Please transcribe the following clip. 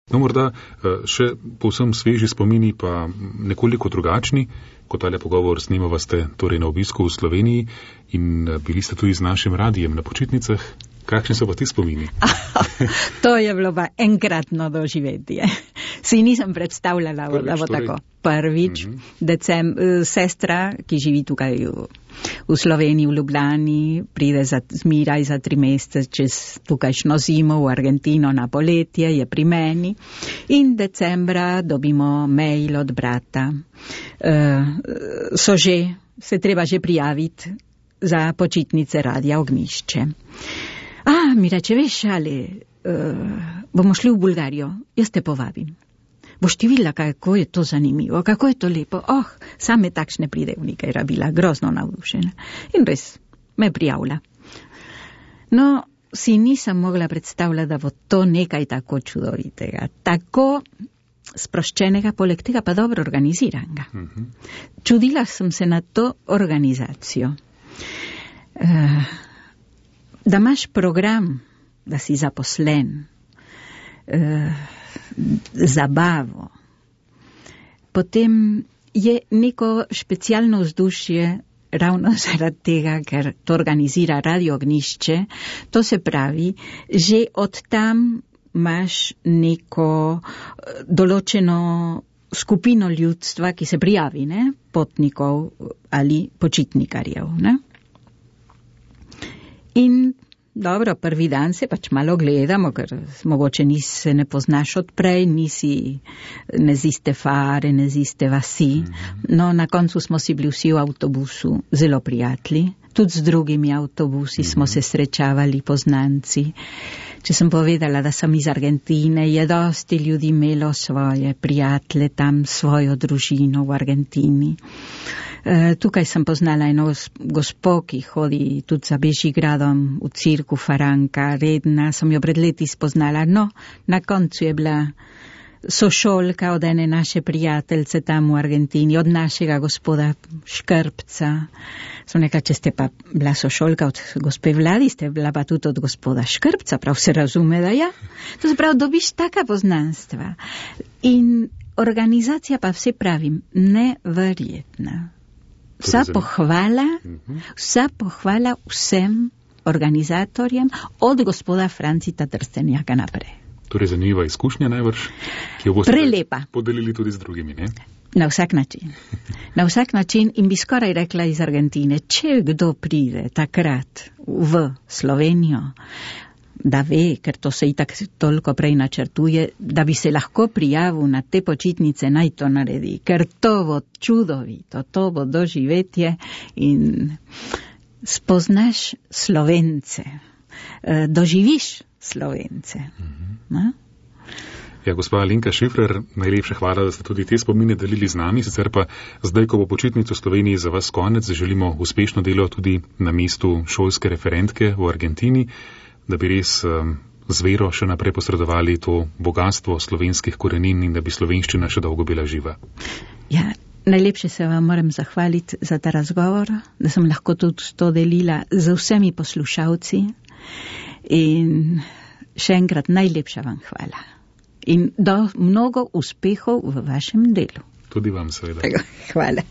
No, morda še povsem sveži spomini, pa nekoliko drugačni, kot tale pogovor snimava ste torej na obisku v Sloveniji in bili ste tudi z našim radijem na počitnicah. Kakšni so pa ti spomini? To je bilo pa enkratno doživetje. Si nisem predstavljala, da bo tako. Prvič, sestra, ki živi tukaj v Sloveniji, v Ljubljani, pride zmiraj za 3 mesece čez tukajšno zimo v Argentino na poletje, je pri meni in decembra dobimo mail od brata. Se treba že prijaviti za počitnice Radia Ognjišče. Mi reče, veš, ali bomo šli v Bulgarijo, jaz te povabim. Boš ti videla, kako je to zanimivo, kako je to lepo. Same takšne pridevnike je rabila, grozno navdušena. In res, me prijavlja. No, si nisem mogla predstavljati, da bo to nekaj tako čudovitega, tako sproščenega, poleg tega pa dobro organiziranega. Čudila sem se na to organizacijo. Da imaš program, da si zaposlen, zabavo. Potem je neko specialno vzdušje ravno zaradi tega, ker to organizira Radio Ognjišče. To se pravi, že od tam imaš neko določeno skupino ljudstva, ki se prijavi, ne? Potnikov ali počitnikarjev, ne? In dobro, prvi dan se pač malo gledamo, ker mogoče se ne poznaš odprej, ne z iste fare, ne z iste vasi. No, na koncu smo si bili vsi v avtobusu zelo prijatelji. Tudi z drugimi avtobusi smo se srečavali, poznanci. Če sem povedala, da sem iz Argentine, je dosti ljudi imelo svoje prijatelje tam, svojo družino v Argentini. Tukaj sem poznala eno gospo, ki hodi tudi za Bežigradom v cirku Faranka, redna, sem jo pred leti spoznala. No, na koncu je bila sošolka od ene naše prijateljce tam v Argentini, od našega gospoda Škrpca. Sem rekla, če ste pa bila sošolka od gospe Vladi, ste bila pa tudi od gospoda Škrpca, prav se razume, da ja. To se pravi, dobiš taka poznanstva. In organizacija pa vse pravim, neverjetna. Vsa pohvala vsem organizatorjem od gospoda Francita Trstenjaka naprej. Torej zanimiva izkušnja najbrž, ki jo boste prelepa podelili tudi z drugimi, ne? Na vsak način. Na vsak način in bi skoraj rekla iz Argentine, če kdo pride takrat v Slovenijo, da ve, ker to se itak toliko prej načrtuje, da bi se lahko prijavil na te počitnice, naj to naredi, ker to bo čudovito, to bo doživetje in spoznaš Slovence, doživiš Slovence. Ja, gospa Alenka Šifrer, najlepša hvala, da ste tudi te spomine delili z nami, sicer pa zdaj, ko bo počitnic v Sloveniji za vas konec, želimo uspešno delo tudi na mestu šolske referentke v Argentini, da bi res z vero še naprej posredovali to bogatstvo slovenskih korenin in da bi slovenščina še dolgo bila živa. Ja, najlepše se vam moram zahvaliti za ta razgovor, da sem lahko tudi to delila z vsemi poslušalci in še enkrat najlepša vam hvala. In mnogo uspehov v vašem delu. Tudi vam seveda. Hvala.